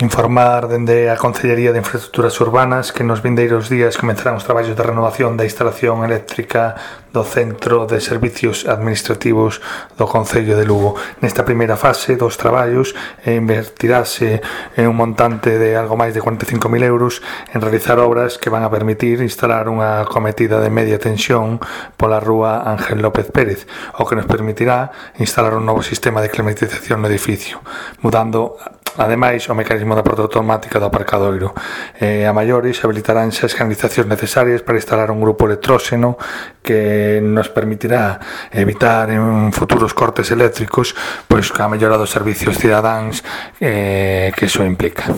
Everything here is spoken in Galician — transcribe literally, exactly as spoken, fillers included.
Informar dende a Concellería de Infraestructuras Urbanas que nos vindeiros días comenzarán os traballos de renovación da instalación eléctrica do Centro de Servicios Administrativos do Concello de Lugo. Nesta primeira fase dos traballos invertirase en un montante de algo máis de cuarenta e cinco mil euros en realizar obras que van a permitir instalar unha cometida de media tensión pola rúa Ángel López Pérez, o que nos permitirá instalar un novo sistema de climatización no edificio, mudando ademais o mecanismo da porta automática do aparcadoiro. Eh, a maiores habilitaránse as canalizacións necesarias para instalar un grupo electróxeno que nos permitirá evitar en futuros cortes eléctricos pois a mellora dos servicios cidadáns eh, que iso implica.